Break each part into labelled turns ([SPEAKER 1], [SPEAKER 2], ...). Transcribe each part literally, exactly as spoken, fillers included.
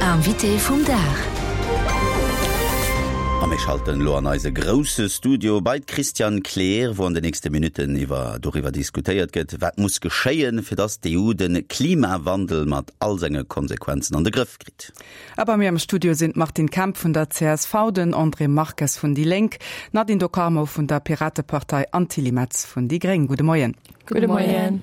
[SPEAKER 1] Invité vum Dag.
[SPEAKER 2] A mir schalten elo an eise grousse Studio bei d'Christiane Kleer, wou an de nächste Minutten iwwer doriwwer diskutéiert gëtt, wat muss geschéien, fir datt d'EU de Klimawandel mat all senge Konsequenzen an de Grëff kritt.
[SPEAKER 3] A bei mir am Studio sinn d'Martine Kemp vun der csv, den André Marques vun déi Lénk, d'Nadine Do Carmo vun der Piratepartei an d'Tilly Metz vun déi Gréng. Gudde Moien.
[SPEAKER 4] Gudde Moien.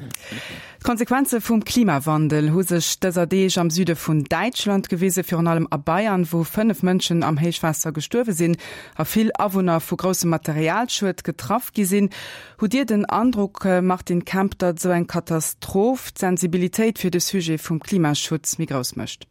[SPEAKER 3] D'Konsequenze vum Klimawandel hu sech dëser Deeg am Süde vun Däitschland gewisen, virun allem a Bayern, wou fënnef Mënschen am Héichwaasser gestuerwe sinn a vill Awunner vu groussem Materialschued getraff gi sinn. Hutt Dir den Androck, Martine Kemp, datt esou eng Katastroph d'Sensibilitéit fir de Sujet vum Klimaschutz méi grouss mécht?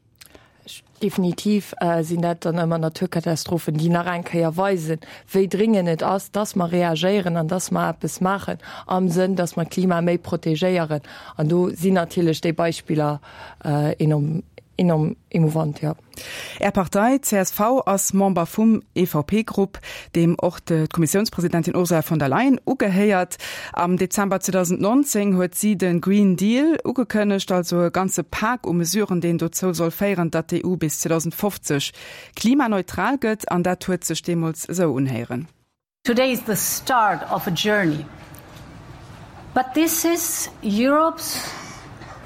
[SPEAKER 4] Definitiv sinn dat dann ëmmer Naturkatastrophen, déi nach eng Kéier weisen, wéi dringend et ass, dass mer reagéieren an dass mer eppes maachen am Sënn, dass mer d'Klima méi protegéieren. An do sinn natierlech déi Beispiller enorm, enorm emouvant, jo.
[SPEAKER 3] Är Partei csv ass Member vum EVP-Grupp, deem och d'Kommissiounspresidentin Ursula von der Leyen ugehéiert. Am Dezember zweedausendnonzéng huet si de Green Deal ugekënnegt, also e ganze Pak u Mesuren, deen dozou soll féieren, datt d'EU bis zweedausendfofzeg klimaneutral gëtt. An dat huet sech deemools esou unhéieren.
[SPEAKER 5] Today is the start of a journey. But this is Europe's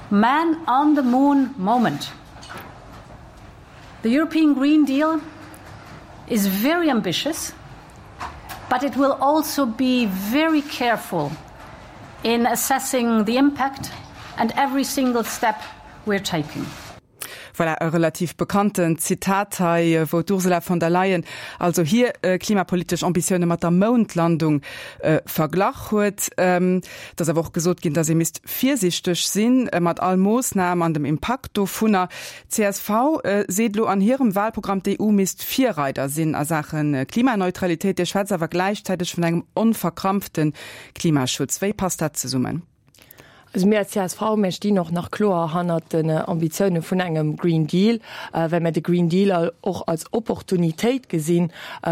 [SPEAKER 5] man on the moon moment. The European Green Deal is very ambitious, but it will also be very careful in assessing the impact and every single step we're taking.
[SPEAKER 3] Voilà, e relativ bekannten Zitat hei, wou d'Ursula von der Leyen also hir klimapolitesch Ambitioune mat der Moundlandung verglach huet. Et ass awer och gesot ginn, datt ee misst virsiichteg sinn mat all Moossnam an dem Impakt dovunner. Csv seet elo an hirem Wahlprogramm, d'EU misst Virreider sinn a Saache Klimaneutralitéit. Dir schwätzt awer gläichzäiteg vun engem onverkrampfte Klimaschutz. Wéi passt dat zesummen?
[SPEAKER 4] Also mir als csv, mir stinn och nach kloer hannert den Ambitioune vun engem Green Deal, well mir de Green Deal och als Opportunitéit gesinn,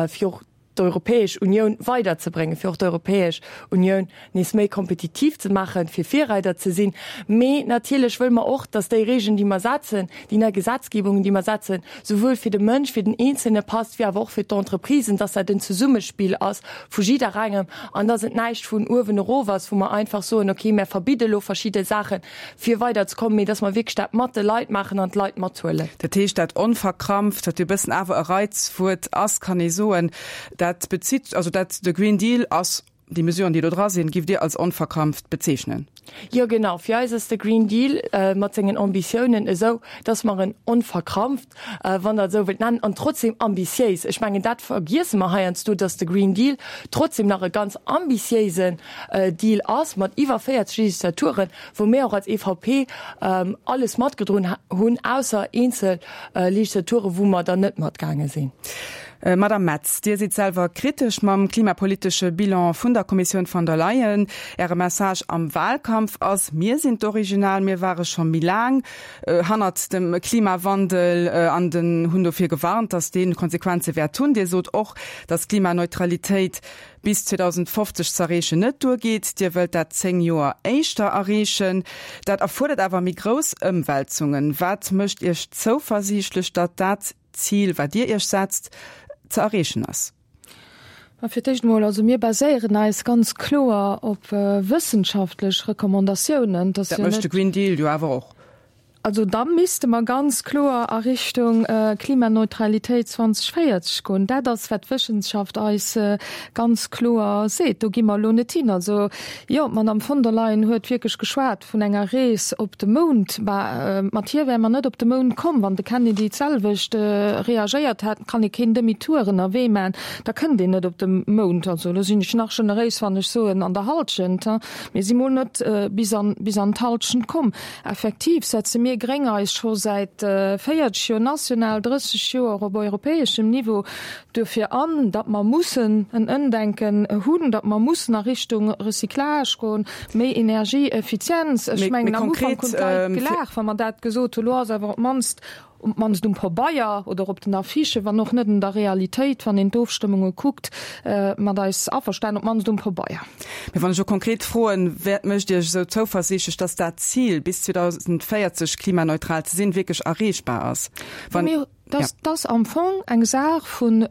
[SPEAKER 4] fir och d'Europäesch Unioun weiderzebréngen, fir och d'Europäesch Unioun nees méi kompetitiv ze maachen, fir Virreider ze sinn. Mee natierlech wëlle mer och, dass déi Regeln, déi mer setzen, déi nei Gesetzgebungen, déi mer setzen, souwuel fir de Mënsch, fir den Eenzelne passt, wéi awer och fir d'Entreprisen, dass dat en Zesummespill ass vu jidderengem an dass et näischt vun uewen erof ass, wou mer einfach soen, okay, mer verbidde lo verschidde Saachen, fir weiderzekommen, mee dass mer wierklech dat mat de Leit maachen an d'Leit mathuelen.
[SPEAKER 3] Dat heescht, dat onverkrampft, wat jo e bëssen awer e Reizwuert ass, kann ee soen, dat bezitt, also dat de Green Deal ass, déi Mesuren, déi do dra sinn, giff Dir als onverkrampft bezeechnen?
[SPEAKER 4] Jo, genau. Fir eis ass de Green Deal mat sengen Ambitiounen esou, dass mer en onverkrampft, wann Der et esou wëllt nennen, an trotzdem ambitiéis, ech mengen, dat vergiesse mer heiansdo, dass de Green Deal trotzdem nach e ganz ambitiéisen Deal ass mat iwwer véierzeg Legislaturen, wou mir och als EVP alles matgedroen hunn, ausser eenzel Legislaturen, wou mer dann net matgaange sinn.
[SPEAKER 3] Madame Metz, Dir sidd selwer kritesch mam klimapolitesche Bilan vun der Kommissioun von der Leyen. Äre Message am Wahlkampf ass, Mir sinn d'Original, mir ware scho méi laang hannert dem Klimawandel an den hunn dofir gewarnt, datt dee Konsequenze wäert hunn. Dir sot och, datt Klimaneutralitéit bis zweedausendfofzeg z'erreechen net duergeet. Dir wëllt dat zéng Joer éischter erreechen. Dat erfuerdert awer méi grouss Ëmwälzungen. Wat mécht Iech zouversiichtlech, datt dat Zil, wat Dir Iech setzt, ze erreechen ass?
[SPEAKER 6] Ma fir d'éischt emol, also mir baséieren eis ganz kloer op wëssenschaftlech Recommandatiounen.
[SPEAKER 3] Dat mécht de Green Deal jo awer och.
[SPEAKER 6] Also da misste mer ganz kloer a Richtung Klimaneutralitéit zweedausendvéierzeg goen. Dat ass, wat d'Wëssenschaft eis ganz kloer seet. Do gi mer elo net hin. Also jo, d'Madame von der Leyen huet wierklech geschwat vun enger Rees op de Mound. Bah, mat hir wäre mer net op de Mound komm. Wann de Kennedy d'selwecht reagéiert hätt, kann ee keen Demi-tour ënnerwee maachen, da kënnt een net op de Mound. Also do sinn ech nach generéis, wann ech soen an der Halschent. Mir si mol net bis an, bis an d'Halschent komm. Effektiv setze mir Gréng eis scho säit véierzeg Joer national, drësseg Joer op europäeschem Niveau duerfir an, datt mer mussen en Ëmdenken hunn, datt mer mussen a Richtung Recyclage goen, méi Energieeffizienz. Ech mengen, am Ufank hunn d'Leit gelaacht, wa mer dat gesot hunn. Elo ass awer op d'mannst um d'mannst um Pabeier oder op den Affichen, wann och net an der Realitéit, wann een d'Ofstëmmunge kuckt, mat eis averstanen, op d'mannst um Pabeier.
[SPEAKER 3] Mee wann ech elo konkret froen, Wat mécht Iech esou zouversiichtlech, dass dat Zil, bis zweedausendvéierzeg klimaneutral ze sinn, wierklech erreechbar ass?
[SPEAKER 6] Wann. Dat ass am Fong eng Saach vu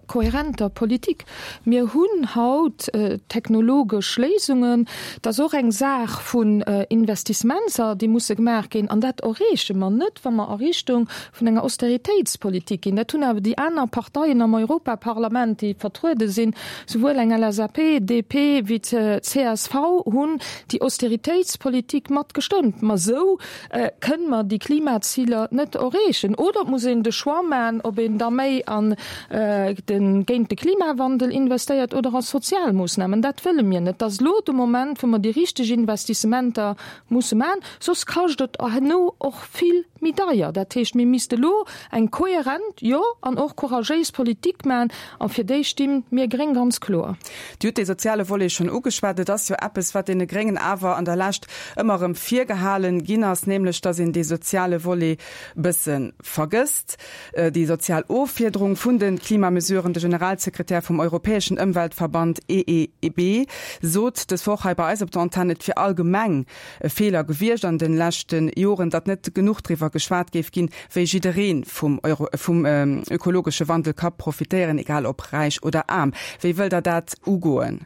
[SPEAKER 6] kohärenter Politik. Mir hunn haut technologesch Léisungen. Dat ass och eng Saach vun Investissementser, déi musse gemaach ginn. An dat erreeche mer net, wa mer a Richtung vun enger Austeritéitspolitik ginn. Dat hunn awer déi aner Parteien am Europaparlament, déi vertruede sinn, souwuel eng L S A P, D P wéi d'C S V, hunn déi Austeritéitspolitik mat gestëmmt. Ma esou kënne mer déi Klimaziler net erreechen. Oder et muss een de Choix maachen, ob een da méi an de géint de Klimawandel investéiert oder a sozial Moossnamen. Dat wëlle mir net. Et ass elo de Moment, wou mer déi richteg Investissementer musse maachen, soss kascht et herno och vill méi deier. Dat heescht, mir misste elo eng kohärent, jo, an och couragéis Politik maachen, a fir déi sti mir Gréng ganz kloer.
[SPEAKER 3] Dir hutt dee soziale Volet schonn ugeschwat. Et ass jo eppes, wat deene Gréngen awer an der Lescht ëmmer erëm virgehalen ginn ass, nämlech datt een dee soziale Volet bësse vergësst, déi sozial Offiederung vun de Klimamesuren. De Generalsekretär vum europäeschen Ëmweltverband E E B sot dës Woch hei bei eis op der Antenn, et wier allgemeng e Feeler gewiescht an de leschte Joren, datt net genuch driwwer geschwat géif ginn, wéi jidderee vum vum ökologesche Wandel ka profitéieren, egal ob räich oder aarm. Wéi wëllt Der dat ugoen?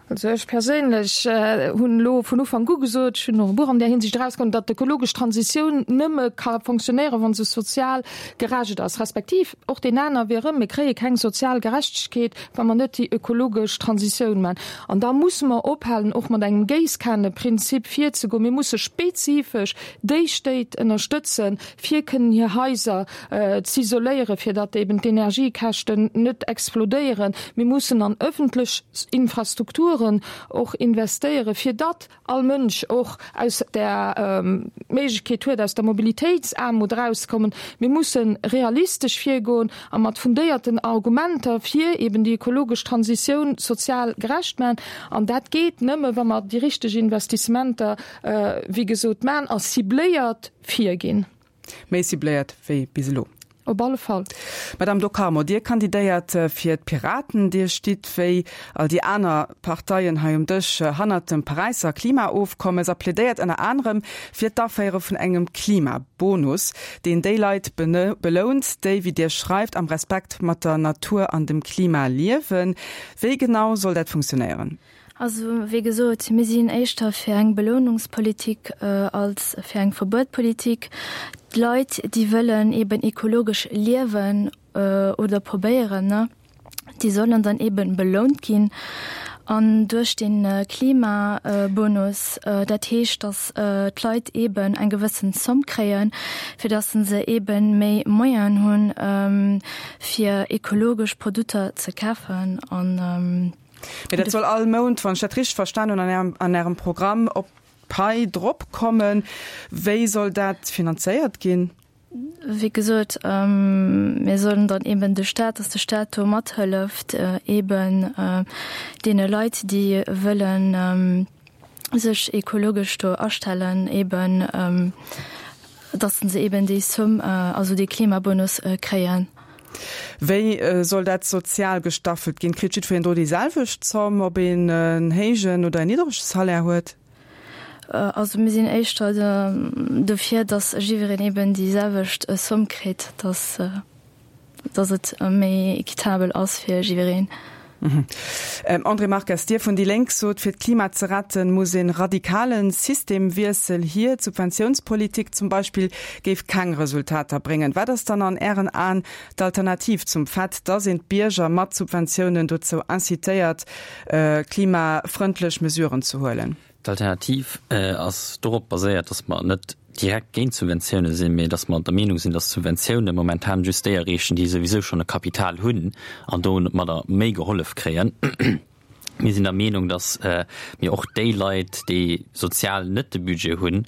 [SPEAKER 6] Also ech perséinlech hunn elo vun Ufank u gesot, ech hunn och e Buch an där Hinsicht erausginn, datt d'ökologesch Transitioun nëmme ka fonctionnéieren, wa se sozial gerecht ass, respektiv och deen aner Wee erëm, mir kréie keng sozial Gerechtegkeet, wa mer net déi ökologesch Transitioun maachen. An da musse mer ophalen, och mat engem Géisskaneprinzip virzegoen. Mir musse spezifesch déi Stéit ënnerstëtzen, fir kënnen hir Haiser z'isoléieren, fir datt eben d'Energiekäschten net explodéieren. Mir mussen an ëffentlech Infrastrukturen och investéieren, fir datt all Mënsch och aus der d'Méiglechkeet huet, aus der Mobilitéitsaarmut erauszekommen. Mir musse realistesch virgoen a mat fundéierten Argumenter fir eben déi ökologesch Transitioun sozial gerecht maachen. An dat geet nëmme, wa mer déi richteg Investissementer, wéi gesot, maachen a cibléiert virginn.
[SPEAKER 3] Méi cibléiert wéi bis elo.
[SPEAKER 6] Op alle Fall.
[SPEAKER 3] Madame Do Carmo, Dir kandidéiert fir d'Piraten. Dir stitt wéi all déi aner Parteien hei um Dësch hannert dem Paräisser Klimaofkommes a plädéiert ënner anerem fir d'Aféiere vun engem Klimabonus, deen déi Leit belount, déi, wéi Dir schreift, am Respekt mat der Natur an dem Klima liewen. Wéi genau soll dat funktionéieren?
[SPEAKER 1] Also wéi gesot, mir sinn éischter fir eng Belounungspolitik als fir eng Verbuetpolitik. D'Leit, déi wëllen eben ekologesch liewen oder probéieren, ne, déi sollen dann eben belount ginn an duerch de Klimabonus. Dat heescht, datt d'Leit eben eng gewëssen Zomm kréien, fir datt se eben méi Moyenen hunn, fir ekologesch Produkter ze kafen an.
[SPEAKER 3] Mee dat soll all Mount, wann ech dat richteg verstan hunn, an Ärem, an Ärem Programm op d'Pai drop kommen. Wéi soll dat finanzéiert ginn?
[SPEAKER 1] Wéi gesot, mir sollen dann eben de Staat, dass de Staat do mathëlleft, eben deene Leit, déi wëllen sech ekologesch do astellen, eben dass se eben déi Somme, also dee Klimabonus kréien.
[SPEAKER 3] Wéi soll dat sozial gestaffelt ginn? Kritt jiddwereen do déi selwecht Zomm, ob een en héijen oder en niddrege Salaire huet?
[SPEAKER 1] Also mir sinn éischter dofir, dass jiddwereen eben déi selwecht Somme kritt, dass dass et méi équitabel ass fir jiddwereen.
[SPEAKER 3] André Marques, Dir vun déi Lénk sot, fir d'Klima ze retten, muss e radikale Systemwiessel hier. D'Subventiounspolitik zum Beispill géif keng Resultater bréngen. Wat ass dann an Ären Aen d'Alternativ zum Fait, dass een d'Bierger mat Subventiounen dozou incitéiert, klimafrëndlech Mesuren ze huelen?
[SPEAKER 7] D'Alternativ ass dorop baséiert, dass mer net direkt géint Subventioune sinn, mee dass mer der Meenung sinn, dass Subventioune momentan just déi erreechen, déi souwisou schonn e Kapital hunn an domadder méi gehollef kréien. Mir sinn der Meenung, dass mir och déi Leit, déi sozial net de Budget hunn,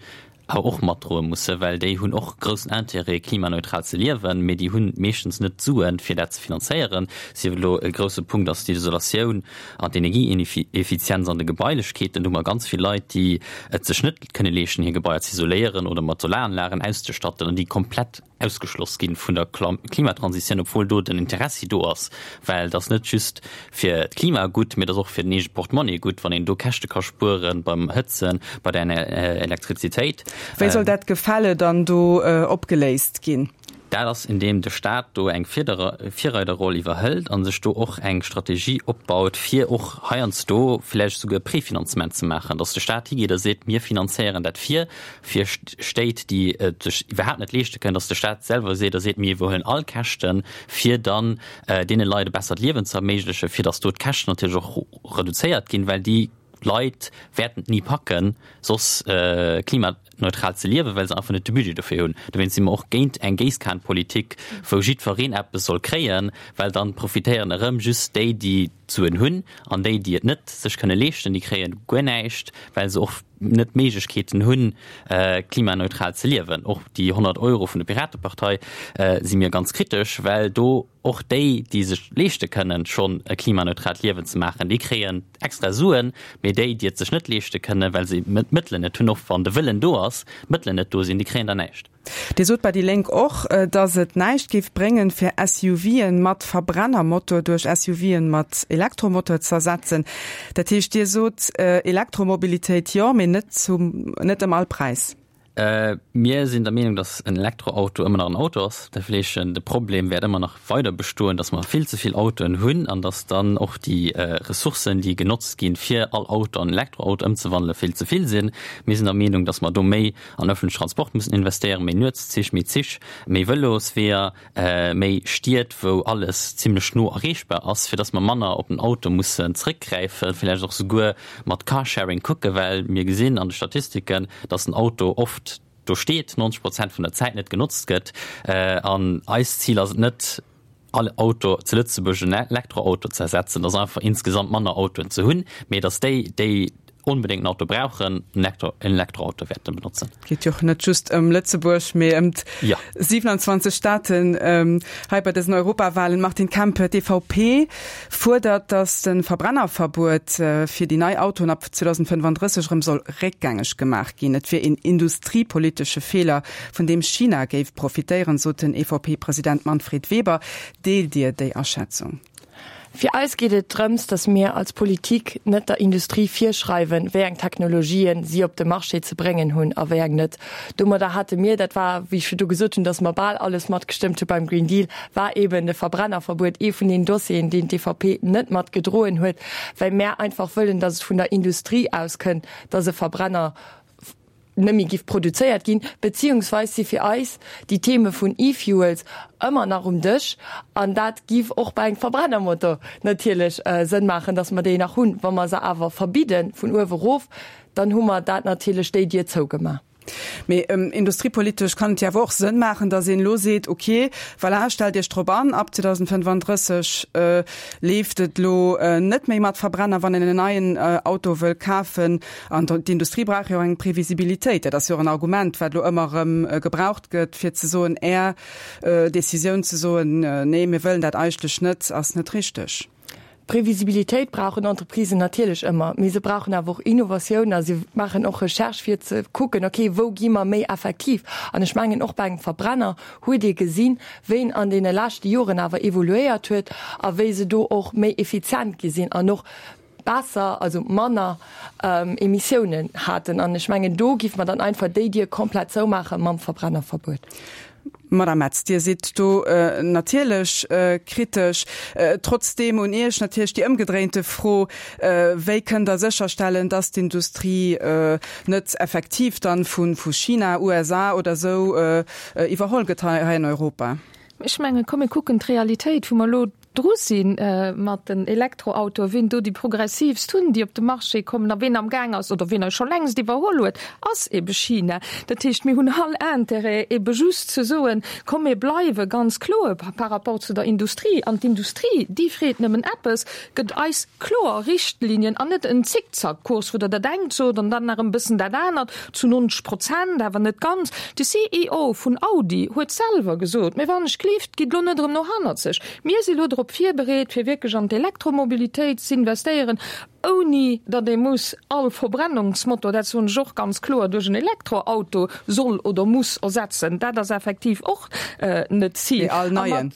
[SPEAKER 7] awer och matdroe mussen, well déi hunn och groussen Intérêt, klimaneutral ze liewen, mee déi hunn meeschtens net d'Suen, fir dat ze finanzéieren. Sief et elo e grousse Punkt ass d'Isolatioun an d'Energieeffizienz an de Gebailechkeeten. Do hu mer ganz vill Leit, déi et sech net kënne leeschten, hir Gebaier ze isoléieren oder mat Solaranlagen auszestatten an déi komplett ausgeschloss ginn vun der Klimatransitioun, obwuel do den Interessi do ass, well et ass net just fir d'Klima gutt, mee et ass och fir den eege Portemonnaie gutt, wann een do Käschte ka spueren beim Hëtzen, bei der Elektrizitéit.
[SPEAKER 3] Wéi soll dat Gefälle dann do opgeléist ginn?
[SPEAKER 7] Dat ass, indeem de Staat do eng Virreiderroll iwwerhëlt a sech do och eng Strategie opbaut, fir och heiansdo vläicht esouguer Prefinanzement ze maachen, datt de Staat higeet a seet, Mir finanzéieren dat vir, fir Stéit, déi et sech iwwerhaapt net leeschte kënnen, datt de Staat selwer seet a seet, Mir iwwerhuelen all Käschten, fir dann deene Leit e bessert Liewen ze erméiglechen, fir datt do d'Käschten natierlech och reduzéiert ginn, well déi Leit wäerten et ni packen, soss klimaneutral ze liewen, well se einfach net de Budget dofir hunn. Dowéinst si mer och géint eng Géisskanpolitik, wou jiddwereen eppes soll kréien, well dann profitéieren erëm just déi, déi d'Suen hunn, an déi, déi et net sech kënne leeschten, déi kréie guer näischt, well se och net d'Méiglechkeeten hunn, klimaneutral ze liewen. Och déi honnert Euro vun der Piratepartei si mir ganz kritesch, well do och déi, déi sech leeschte kënnen, schonn e klimaneutraalt Liewen ze maachen, déi kréien extra Suen, mee déi, déi et sech net leeschte kënnen, well se d'Mëttelen net hunn, och wann de Wëllen do ass, d'Mëttelen net do sinn, déi kréien da näischt.
[SPEAKER 3] Dir sot bei déi Lénk och, datt et näischt géif bréngen, fir SUVen mat Verbrennermotor duerch SUVen mat Elektromotor z'ersetzen. Dat heescht, Dir sot, Elektromobilitéit jo, mee net zum, net ëm all Präis.
[SPEAKER 7] Mir sinn der Meenung, datt en Elektroauto ëmmer nach en Auto ass. Dat will heeschen, de Problem wäert ëmmer nach weider bestoen, datt mer vill ze vill Autoen hunn an datt dann och déi Ressourcen, déi genotzt ginn, fir all Auto an Elektroauto ëmzewandelen, vill ze vill sinn. Mir sinn der Meenung, datt mer do méi an ëffentlechen Transport mussen investéieren, méi Nuetszich, méi Zich, méi Vëlosweeër, méi Stied, wou alles zimlech no erreechbar ass, fir dass mer manner op den Auto mussen zréckgräifen, villäicht och souguer mat Carsharing kucken, well mir gesinn an de Statistiken, dass den Auto oft do steet, neunzeg Prozent vun der Zäit net genotzt gëtt. An eist Zil ass et net, all Auto zu Lëtzebuerg en Elektroauto ze ersetzen, et ass einfach insgesamt manner Autoen ze hunn, mee dass déi, déi onbedéngt en Auto brauchen, en Elektroauto wäerte benotzen.
[SPEAKER 3] Et geet jo och net just ëm Lëtzebuerg, mee ëm d'siewenundzwanzeg Staaten hei bei dësen Europawahlen. Martine Kemp, d'EVP fuerdert, datt de Verbrennerverbuet fir déi nei Autoen ab zweedausendfënnefandrësseg erëm soll réckgängeg gemaach ginn. Et wier een industriepolitesche Feeler, vun deem China géif profitéieren, sot den EVP-President Manfred Weber. Deelt Dir déi Aschätzung?
[SPEAKER 4] Fir eis geet et drëms, datt mir als Politik net der Industrie virschreiwen, wéi eng Technologien si op de Marché ze bréngen hunn a wéi eng net. Domadder hate mir, dat war, wéi ech virdu gesot hunn, datt mer bal alles matgestëmmt hu beim Green Deal, war eeben de Verbrennerverbuet ee vun den Dossieren, deen d'EVP net matgedroen huet, well mär einfach wëllen, datt et vun der Industrie aus kënnt, datt e Verbrenner net méi giff produzéiert ginn, beziehungsweis si fir eis déi Theme vun E-Fuels ëmmer nach um Dësch an dat giff och bei engem Verbrennermotor natierlech Sënn maachen, dass mer déi nach hunn. Wa mer se awer verbidde vun uewe erof, dann hu mer dat natierlech déi Dier zougemaach.
[SPEAKER 3] Mee industriepolitesch kann et jo awer och Sënn maachen, dass een elo seet, ok, voilà, stellt Iech drop an, ab zweedausendfënnefandrësseg leeft et elo net méi mat Verbrenner, wann een en neien Auto wëll kafen. An d'Industrie brauch jo eng Previsibilitéit. Dat ass jo och en Argument, wat elo ëmmer erëm gebraucht gëtt, fir ze soen, Är Decisioun ze soen, nee, mir wëllen dat eigentlech net, ass net richteg.
[SPEAKER 4] Previsibilitéit brauchen Entreprisen natierlech ëmmer, mee se brauchen awer och Innovatioun a se maachen och Recherche fir ze kucken, okay, wou gi mer méi effektiv. An ech mengen, och bei engem Verbrenner huet ee gesinn, wéi en an deene leschte Joren awer evoluéiert huet a wéi se do och méi effizient gi sinn an och besser, also manner Emissiounen haten. An ech mengen, do géife mer dann einfach déi Dier komplett zoumaache mam Verbrennerverbuet.
[SPEAKER 3] Madame Metz, Dir sidd do natierlech kritesch. Trotzdeem un Iech natierlech déi ëmgedréinte Fro, Wéi kënnt Der sécherstellen, dass d'Industrie net effektiv dann vu China, U S A oder esou iwwerholl gëtt hei an Europa?
[SPEAKER 6] Ech mengen, komm mir kucken d'Realitéit, wou mer elo dru si mat den Elektroautoen, wien do déi progressiivst hunn, déi op de Marché kommen a wien amgaang ass oder wien eis scho längst iwwerholl huet, ass ebe China. Dat heescht, mir hunn all Intérêt ebe just ze soen, komm mir bleiwe ganz kloer par rapport zu der Industrie. An d'Industrie, déi freet nëmmen eppes, Gëtt eis kloer Richtlinien an net en Zickzackkurs, wou Der dat engt sot an dann nach e bëssen dat anert, zu neunzeg Prozent, awer net ganz. De C E O vun Audi huet selwer gesot, Mä wann ech gleeft, gitt elo net erëm no hannerzeg. Mir si elo drop drop virbereet, fir wierklech an d'Elektromobilitéit z'investéieren, ouni datt ee muss all Verbrennungsmotor, dat soen ech och ganz kloer, duerch en Elektroauto soll oder muss ersetzen. Dat ass effektiv och net d'Zil.
[SPEAKER 3] Mee all neien.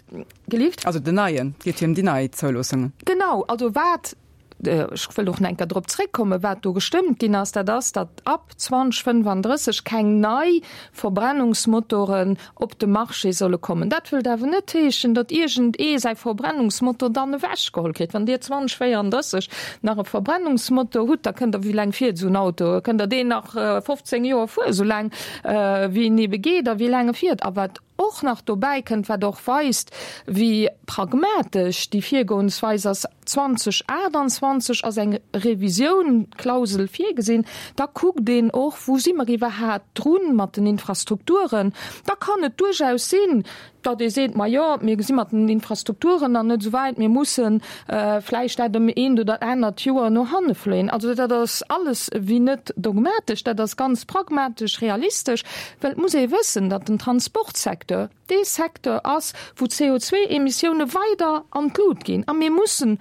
[SPEAKER 6] Gelift?
[SPEAKER 3] Also den neien, et geet jo ëm déi nei Zouloossungen.
[SPEAKER 6] Genau, also wat ech wëll och nach eng Kéier drop zréckkommen, wat do gestëmmt ginn ass, dat ass, datt ab zweitausendfënnefandrësseg keng nei Verbrennungsmotoren op de Marché solle kommen. Dat wëllt awer net heeschen, datt iergend ee säi Verbrennungsmotor dann ewechgeholl kritt. Wann Dir zweitausendvéierunddrësseg nach e Verbrennungsmotor hutt, da kënnt Der, wéi laang fiert esou en Auto? Kënnt Der deen nach fofzéng Joer fueren, esou laang wéi en ebe geet a wéi laang e fiert? A wat och nach dobäi kënnt, wat och weist, wéi pragmatesch déi Virgoensweis ass, zweitausendaachtundzwanzeg ass eng Revisiounklausel virgesinn, da kuckt een och, wou si mer iwwerhat drun mat den Infrastrukturen. Da kann et duerchaus sinn, datt ee seet, Majo, mir si mat den Infrastrukturen nach net esou wäit, mir musse vläicht dat ëm eent oder anert Joer no hanne fléien. Also dat ass alles wéi net dogmatesch, dat ass ganz pragmatesch, realistesch, well et muss ee wëssen, datt den Transportsecteur dee Secteur ass, wou d'C O zwei Emissioune weider an d'Lut ginn. A mir mussen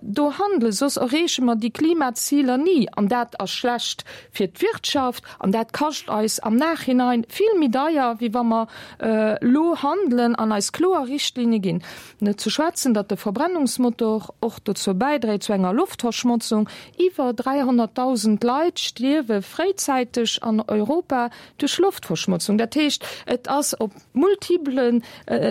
[SPEAKER 6] do handelen, soss erreeche mer déi Klimaziler ni. An dat ass schlecht fir d'Wirtschaft an dat kascht eis am Nachhinein vill méi deier, wéi wa mer elo handelen an eis kloer Richtlinne ginn. Net ze schwätzen, datt de Verbrennungsmotor och dozou bäidréit zu enger Loftverschmotzung. Iwwer dräihonnertdausend Leit stierwe fréizäiteg an Europa duerch Loftverschmotzung. Dat heescht, et ass op multiplen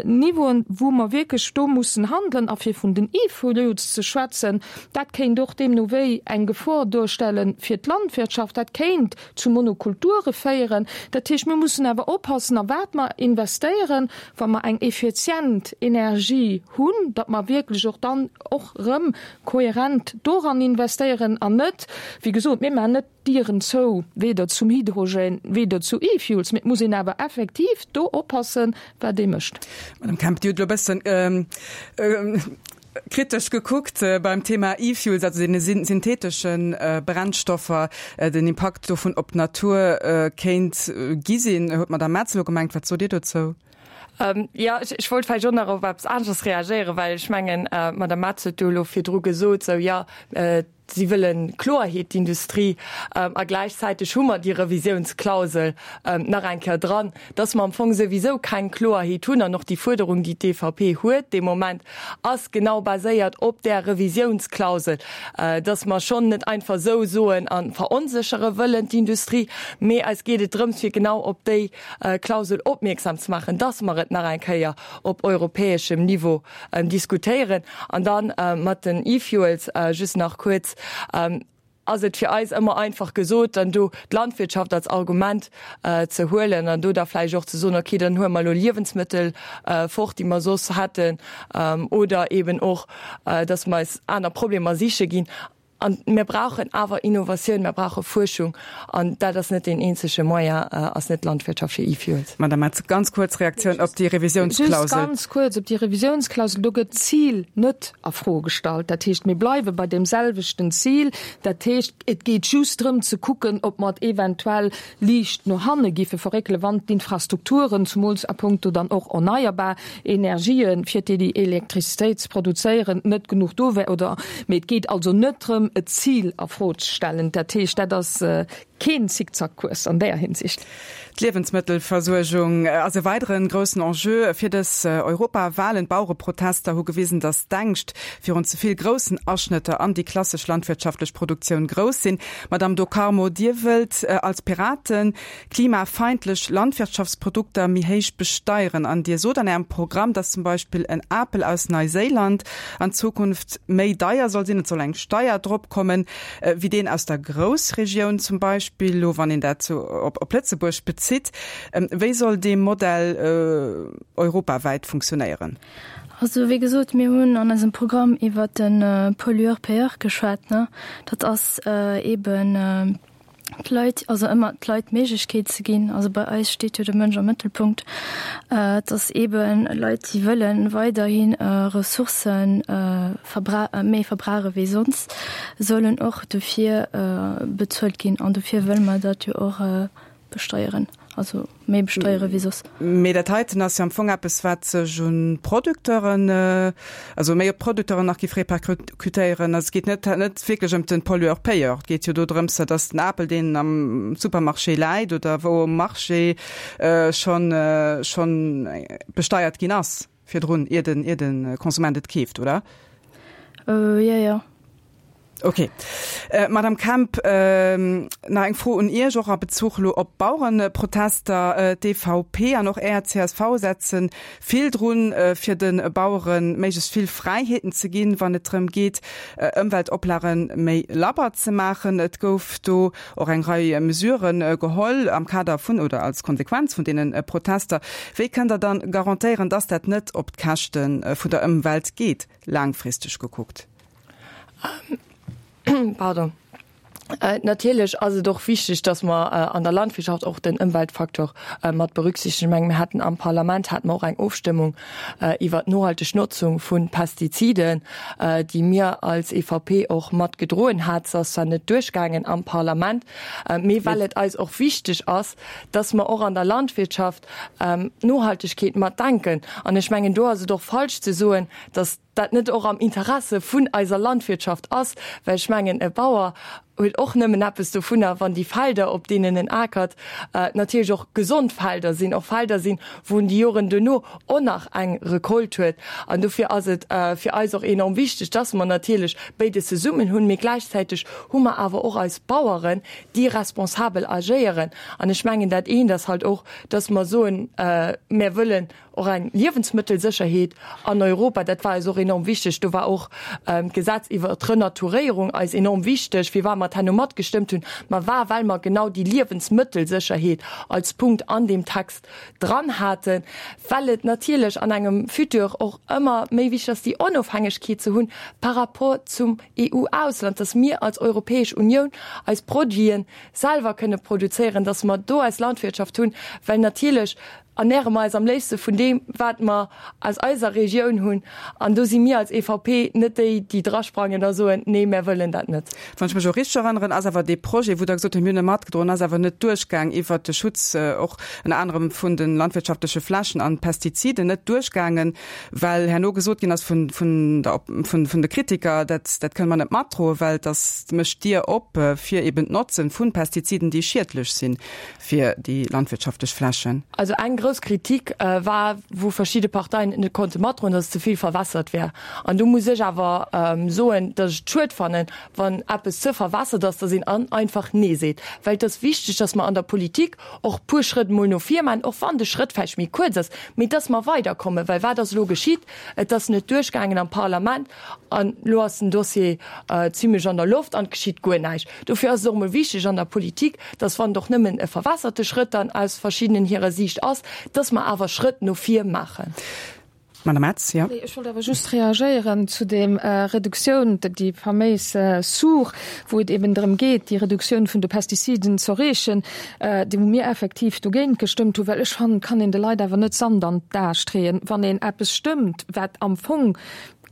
[SPEAKER 6] Niveauen, wou mer wierklech do mussen handelen. A fir vun den E-Fuels ze schwätzen, dat kéint och deemno wéi eng Gefor duerstelle fir d'Landwirtschaft, dat kéint zu Monokulture féieren. Dat heescht, mir mussen awer oppassen, a wat mer investéieren, wa mer eng effizient Energie hunn, datt mer wierklech och dann och erëm kohärent doran investéieren an net, wéi gesot, mir maachen net d'Dieren zou, weder zum Hydrogen, weder zu E-Fuels, mee et muss een awer effektiv do oppassen, wat ee mécht.
[SPEAKER 3] Madame Kemp, Dir hutt elo e bëssen kritesch gekuckt beim Thema E-Fuels, also deene syntheetesche Brennstoffer, den Impakt dovun op d'Natur kéint gi sinn, huet d'Madame Metz elo gemengt. Wat sot Dir dozou?
[SPEAKER 4] Jo, ech wollt vläicht och nach op eppes aneschters reagéieren, well ech mengen, d'Madame Metz huet do elo virdru gesot, sou, jo, si wëlle Kloerheet, d'Industrie, a gläichzäiteg hu mer déi Revisiounsklausel nach eng Kéier dran, dass mer am Fong souwisou keng Kloerheet hunn. An och déi Fuerderung, déi d'E V P huet dee Moment, ass genau baséiert op där Revisiounsklausel, dass mer schonn net einfach esou soen a veronséchere wëllen d'Industrie, mee eis geet et drëms, fir genau op déi Klausel opmierksam ze maachen, dass mer et nach eng Kéier op europäeschem Niveau diskutéieren. An dann mat den E-Fuels just nach kuerz, ass et fir eis ëmmer einfach gesot, dann do d'Landwirtschaft als Argument ze huelen an do da vläicht och ze soen, okay, dann huele mer elo Liewensmëttel fort, déi mer soss hätten, oder eben och, dass mer eis aner Problemer siche ginn. An mir brauchen awer Innovatioun, mir brauche Fuerschung, an dat ass net deen eenzege Moyen, ass net d'Landwirtschaft fir E-Fuels.
[SPEAKER 3] Madame Metz, ganz kuerz Reaktioun op déi Revisiounsklausel.
[SPEAKER 6] Just ganz kuerz op déi Revisiounsklausel. Do gëtt d'Zil net a Fro gestallt. Dat heescht, mir bleiwe bei deem selwechten Zil. Dat heescht, et geet just drëm ze kucken, ob mer et eventuell liicht no hanne giffe verréckelen, wann d'Infrastrukturen, zumools a puncto dann och erneierbar Energien, fir déi Elektrizitéit ze produzéieren, net genuch do wär oder. Mee et geet also net drëm, e Zil a Fro ze stellen. Dat heescht, dat ass keen Zickzackkurs an där Hinsicht.
[SPEAKER 3] D'Liewensmëttelversuergung ass e weidere groussen Enjeu fir dës Europawalen. D'Bauereprotester hu gewisen, datt d'Ängscht virun ze vill groussen Aschnëtter an déi klassesch landwirtschaftlech Produktioun grouss sinn. Madamm Do Carmo, Dir wëllt als Piraten klimafeindlech Landwirtschaftsprodukter méi héich besteieren an Dir sot an Ärem Programm, datt zum Beispill en Apel aus Neiséiland an Zukunft méi deier soll sinn, et soll eng Steier drop kommen, wéi deen aus der Groussregioun zum Beispill, elo wann een dat sou op Lëtzebuerg bezitt. Wéi soll dee Modell europawäit funktionéieren?
[SPEAKER 1] Also wéi gesot, mir hunn an eisem Programm iwwert de Pollueur-payeur geschwat, ne? Dat ass eeben d'Leit, also ëmmer d'Leit d'Méiglechkeet ze ginn, also bei eis steet jo de Mënsch am Mëttelpunkt, dass eeben Leit, déi wëlle weiderhi Ressourcë verbra méi verbrauche wéi sonst, sollen och dofir bezuelt ginn. An dofir wëlle mer dat jo och besteieren. Also méi besteiere wéi soss.
[SPEAKER 3] Mee dat heiten ass jo am Fong eppes, wat sech un d'Producteuren, also méi op d'Producteuren nach géif repercutéieren. Also et geet net net wierklech ëm den Pollueur-payeur. Et geet jo do drëms, datt den Apel, deen am Supermarché läit oder wou um Marché, schonn schonn besteiert ginn ass virdrun, ier den ier de Konsument et keeft, oder?
[SPEAKER 1] Jo, jo.
[SPEAKER 3] Ok. Madame Kemp, nach eng Fro un Iech, och a Bezuch elo op d'Bauereprotester. D'EVP an och Är csv setze vill drun, fir de Bauere méiglechst vill Fräiheeten ze ginn, wann et drëm geet, Ëmweltoplage méi labber ze maachen. Et gouf do och eng Rei Mesurë geholl am Kader vun oder als Konsequenz vun deene Protester. Wéi kënnt Der dann garantéieren, dass dat net op d'Käschte vun der Ëmwelt geet, laangfristeg gekuckt?
[SPEAKER 4] Pardon. Natierlech ass et och wichteg, dass mer an der Landwirtschaft och den Ëmweltfaktor mat berücksichtegen. Ech mengen, mir haten am Parlament hate mer och eng Ofstëmmung iwwert d'nohalteg Notzung vu Pestiziden, déi mir als EVP och mat gedroen hat. Se ass zwar net duerchgaangen am Parlament, mee well et eis och wichteg ass, dass mer och an der Landwirtschaft d'Nohaltegkeet mat denken. An ech mengen, do ass et och falsch ze soen, dass dat net och am Interesse vun eiser Landwirtschaft ass, well ech mengen, e Bauer huet och nëmmen eppes dovunner, wann déi Felder, op deenen en akert, natierlech och gesond Felder sinn, och Felder sinn, wou en déi Joren duerno och nach eng Recolte huet. An dofir ass et fir eis och enorm wichteg, dass mer natierlech béides zesummen hunn, mee gläichzäiteg hu mer awer och eis Baueren, déi responsabel agéieren. An ech mengen, dat eent ass halt och, dass mer soen, Mär wëllen Och eng Liewensmëttelsécherheet an Europa, dat war eis och enorm wichteg. Do war och d'Gesetz iwwer d'Renaturéierung eis enorm wichteg. Firwat mer et herno matgestëmmt hunn, ma war, well mer genau déi Liewensmëttelsécherheet als Punkt an deem Text dran haten, well et natierlech an engem Futur och ëmmer méi wichteg ass, déi Onofhängegkeet ze hunn par rapport zum EU-Ausland, dass mir als Europäesch Unioun eis Produite selwer kënne produzéieren, dass mer do eis Landwirtschaft hunn, well natierlech ernäre mer eis am léifste vun deem, wat mer aus eiser Regioun hunn. An do si mir als EVP net déi, déi drasprangen a soen, Nee, mär wëllen dat net.
[SPEAKER 3] Wann ech mech elo richteg erënneren, ass awer dee Projet, wou Der gesot hutt, mir hunn e matgedroen, ass awer net duerchgaang iwwert de Schutz och ënner anerem vun de landwirtschaftleche Flächen an Pestiziden, net duerchgaangen, well herno gesot ginn ass vun, vun der, vun, vun de Kritiker, dat, dat kënne mer net matdroen, well dass mécht d'Dier op fir eben d'Notze vu Pestiziden, déi schiedlech sinn fir déi landwirtschaftlech Flächen.
[SPEAKER 4] Also eng grouss Kritik war, wou verschidde Parteien et net konnte matdroen, datt et ze vill verwässert wär. An do muss ech awer soen, datt ech et schued fannen, wann eppes ze verwässert ass, datt een an einfach Nee seet. Well et ass wichteg, datt mer an der Politik och e puer Schrëtt emol no vir maachen, och wann de Schrëtt vläicht méi kuerz ass, mee datt mer weiderkommen. Well wat ass elo geschitt? Et ass net duerchgaangen am Parlament an elo ass den Dossier zimlech an der Loft an et geschitt guer näischt. Dofir ass et och emol wichteg an der Politik, datt, wann et och nëmmen e verwässerte Schrëtt dann aus verschiddenen hirer Siicht ass, datt mer awer Schrëtt no vir maachen.
[SPEAKER 3] Madame Metz, jo.
[SPEAKER 6] Nee, ech wollt awer just reagéieren zu deem Reduktioun, déi faméis SUR, wou et eben drëm geet, déi Reduktioun vun de Pestiziden z'erreechen, déi wou mir effektiv dogéint gestëmmt hunn, well ech fannen, et kann een de Leit awer net Sand an d'Ae streeën, wann een eppes stëmmt, wat am Fong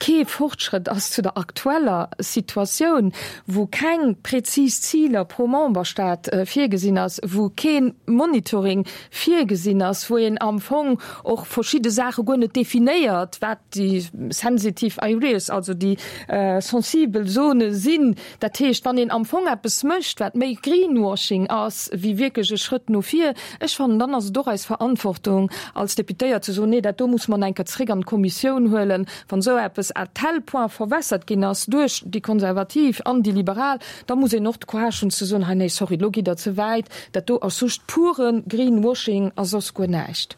[SPEAKER 6] kee Fortschrëtt ass zu der aktueller Situatioun, wou keng prezis Ziler pro Memberstaat virgesinn ass, wou kee Monitoring virgesinn ass, wou een am Fong och verschidde Saache guer net definéiert, wat déi sensitiv areas, also déi sensibel Zone sinn. Dat heescht, wann een am Fong eppes mécht, wat méi Greenwashing ass wéi wierklech e Schrëtt no vir, ech fannen, dann ass et och eis Verantwortung als Deputéiert ze soen, nee, dat do muss mer eng Kéier zréck an d'Kommissioun huelen, wann esou eppes à tel point verwässert ginn ass duerch déi Konservativ an déi Liberal, da muss een och de Courage hunn ze soen, hei nee, sorry, elo gitt Der ze wäit, dat do ass just pure Greenwashing a soss guer näischt.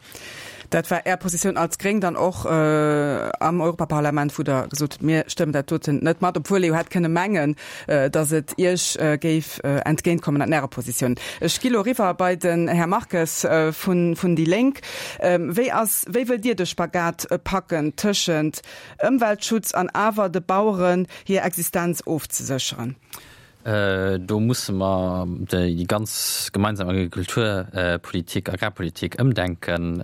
[SPEAKER 3] Dat war Är Positioun als Gréng dann och am Europaparlament, wou Der gesot hutt, mir stëmmen dat doten net mat, obwuel ee jo hätt kënne mengen, datt et Iech géif entgéintkommen an Ärer Positioun. Ech gi lo eriwwer bei den Här Marques vun déi Lénk. Wéi ass, wéi wëllt Dir de Spagat packen tëschent Ëmweltschutz an awer de Baueren hir Existenz ofzesécheren?
[SPEAKER 7] Do musse mer déi ganz gemeinsam Agrikulturpolitik, Agrarpolitik ëmdenken,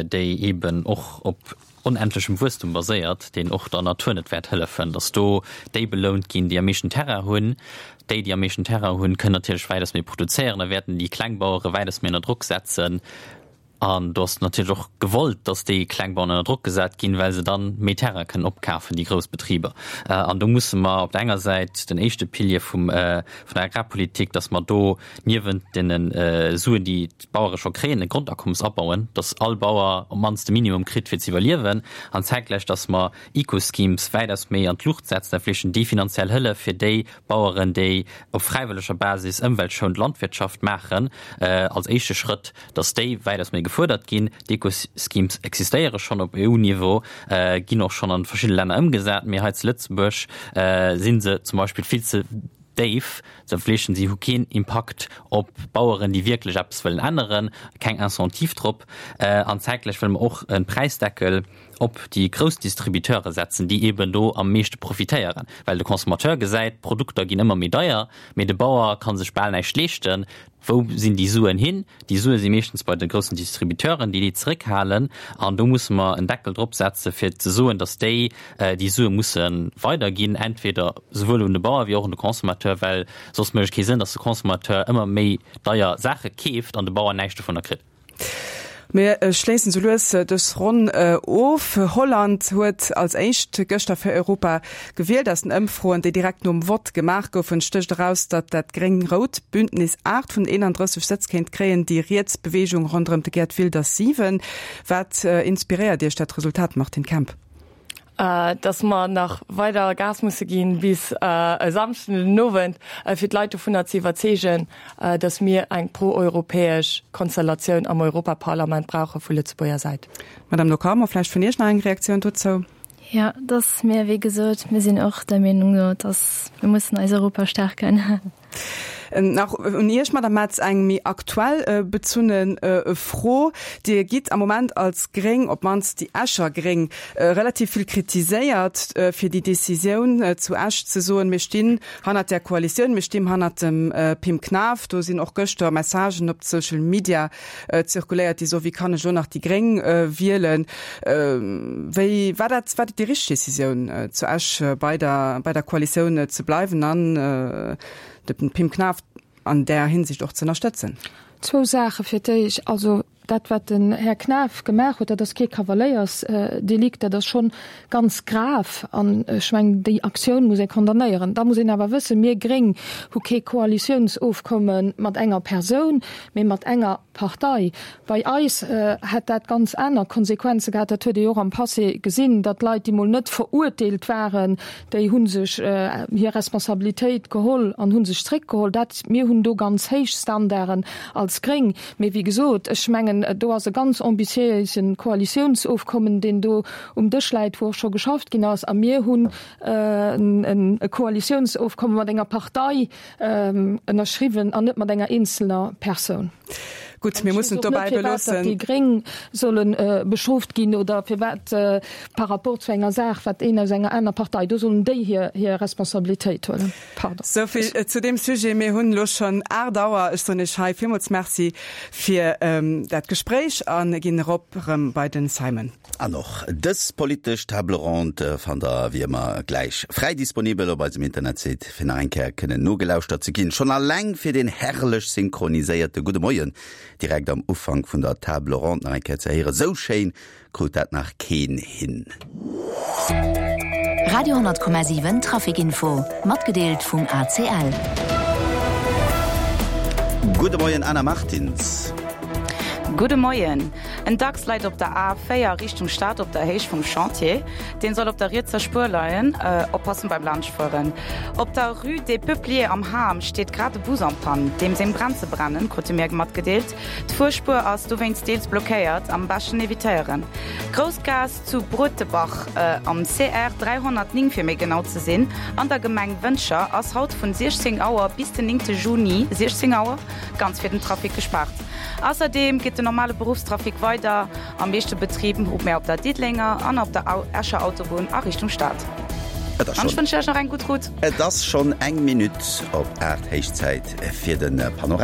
[SPEAKER 7] déi eeben och op onendlechem Wuesstum baséiert, deen och der Natur net wäert hëllefen, datt do déi belount ginn, déi am meeschten Terrain hunn. Déi, déi am meeschten Terrain hunn, kënnen natierlech wäitaus méi produzéieren a wäerten déi kleng Bauere wäitaus méi ënner Drock setzen. An do ass natierlech och gewollt, datt déi kleng Baueren ënner Drock gesat ginn, well se dann méi Terrain kënnen opkafen, déi grouss Betriber. An do musse mer op der enger Säit den éischte Pilier vum, vun der Agrarpolitik, datt mer do niewent deene Suen, déi d'Bauere scho kréien, e Grondakommes abauen, datt all Bauer op d'mannst de Minimum kritt, fir ze iwwerliewen, an zäitgläich, datt mer Eco-Schemes wäitaus méi an d'Luucht setzen, dat heescht déi finanziell Hëllef fir déi Baueren, déi op fräiwëlleger Basis ëmweltschonend Landwirtschaft maachen, als éischte Schrëtt, datt déi wäitaus méi gefuerdert ginn. D'Eco-Schemes existéiere schonn op E U-Niveau, ginn och schonn an verschiddene Länner ëmgesat, mee hei zu Lëtzebuerg si se zum Beispill vill ze déif, se fleeschen, si hu keen Impakt op Baueren, déi wierklech eppes wëllen änneren, keng Incentive drop. An zäitgläich wëlle mer och e Präisdeckel op déi grouss Distributeure setzen, déi eeben do am meeschte profitéieren, well de Consommateur gesäit, d'Produkter ginn ëmmer méi deier, mee de Bauer ka sech bal näischt leeschten. Wou sinn déi Suen hin? Déi Sue si meeschtens bei de groussen Distributeuren, déi déi zeréckhalen. An do musse mer en Deckel drop setze fir ze soen, datt déi déi Sue musse weiderginn, entweder souwuel un de Bauer wéi och un de Consommateur, well soss mécht et kee Sënn, datt de Consommateur ëmmer méi deier Saache keeft an de Bauer näischt dovunner kritt.
[SPEAKER 3] Mir schléissen sou lues dës Ronn of. Holland huet als éischt gëschter fir Europa gewielt. Aus den Ëmfroen, déi direkt nom Vott gemaach goufen, stécht eraus, datt dat gréng-rout Bündnis aacht vun eenandrësseg Sëtz kéint kréien, déi riets Beweegung ronderëm de Geert Wilders siwen. Wat inspiréiert Iech dat Resultat, Martine Kemp?
[SPEAKER 4] Dass mer nach weider Gas musse ginn bis e Samschden den Owend, fir d'Leit dovunner ze iwwerzeegen, dass mir eng proeuropäesch Konstellatioun am Europaparlament brauche vu Lëtzebuerger Säit.
[SPEAKER 3] Madame Do Carmo, vläicht vun Iech nach eng Reaktioun dozou?
[SPEAKER 1] Jo, dass mir, wéi gesot, mir sinn och der Meenung, dass mir mussen eis Europa stärken.
[SPEAKER 3] Nach un Iech, Madame Metz, eng méi aktuell bezunne Fro. Dir gitt am Moment als Gréng, op d'mannst déi Escher Gréng, relativ vill kritiséiert fir déi Decisioun zu Esch ze soen, mir stinn hannert där Koalitioun, mir stinn hannert dem Pim Knaff. Do sinn och gëschter Messagen op Social Media zirkuléiert, déi soen, wéi kann ech elo nach déi Gréng wielen? Wéi war dat, war dat déi richteg Decisioun zu Esch bei der, bei der Koalitioun ze bleiwen an de Pim Knaff an där Hinsicht och ze ënnerstëtzen?
[SPEAKER 6] Zwou Saache fir d'éischt. Also dat, wat den Här Knaff gemaach huet, dat ass kee Kavaléiersdelikt, dat ass schonn ganz grav an ech mengen, déi Aktioun muss ee condamnéieren. Da muss een awer wëssen, mir Gréng hu kee Koalitiounsofkomme mat enger Persoun, mee mat enger Partei. Bei eis hätt dat ganz aner Konsequenze gehat. Dat huet ee jo och am Passé gesinn, datt Leit, déi mol net verurteelt waren, déi hu sech hir Responsabilitéit geholl an hu sech zréckgeholl. Dat, mir hunn do ganz héich Standarden als Gréng. Mee wéi gesot, ech mengen, do ass e ganz ambitiéise Koalitiounsofkommen, deen do um Dësch läit, wou och scho geschafft ginn ass. A mir hunn e Koalitiounsofkomme mat enger Partei ënnerschriwwen an net mat enger eenzelner Persoun.
[SPEAKER 3] Gutt, mir mussen et dobäi beloossen.
[SPEAKER 6] Déi Gréng solle bestrooft ginn oder firwat par rapport zu enger Saach, wat een aus enger aner Partei, do sollen déi hir Responsabilitéit huelen.
[SPEAKER 3] Pardon. Souvill zu deem Sujet. Mir hunn elo schonn aacht Auer. Ech soen Iech hei villmools Merci fir dat Gespréich a ginn erop erëm bei den Simon.
[SPEAKER 2] An och dës politesch Table ronde fannt der wéi ëmmer gläich fräi disponibel op eisem Internetsite fir nach eng Kéier kënnen nogelauschtert ze ginn. Schonn alleng fir deen herrlech synchroniséierte Gudde Moien direkt am Ufank vun der Table ronde nach eng Kéier ze héieren. Sou schéin krut dat nach keen hin.
[SPEAKER 8] Radio honnert Komma siwen Traficinfo, matgedeelt vum A C L.
[SPEAKER 2] Gudde Moien Anna Martins.
[SPEAKER 9] Gudde Moien. En Dachs leit op der A véier Richtung Stad op der Héicht vum Chantier. Deen soll op der rietser Spuer leien. Oppassen beim Laanschtfueren. Op der Rue des Peupliers am Ham steet grad e Bus en panne. Deem seng Bremse brennen, krute mir matgedeelt. D'Fuerspuer ass dowéinst deels blockéiert. Am beschten evitéieren. D'Groussgaass zu Bruetebach, am C R dräihonnertnéng fir méi genau ze sinn, an der Gemeng Wëntger, ass haut vun siechzéng Auer bis den néngte Juni siechzéng Auer ganz fir den Trafic gespaart. Ausserdeem geet den normale Beruffstrafic weider. Am meeschte Betrib hu mär op der Diddelenger an op der Escher Autobunn a Richtung Stad.
[SPEAKER 2] Et ass
[SPEAKER 9] An ech
[SPEAKER 2] schonn
[SPEAKER 9] wënschen Iech nach eng gutt Route.
[SPEAKER 2] Et ass schonn eng Minutt op aacht, héich Zäit fir de Panorama.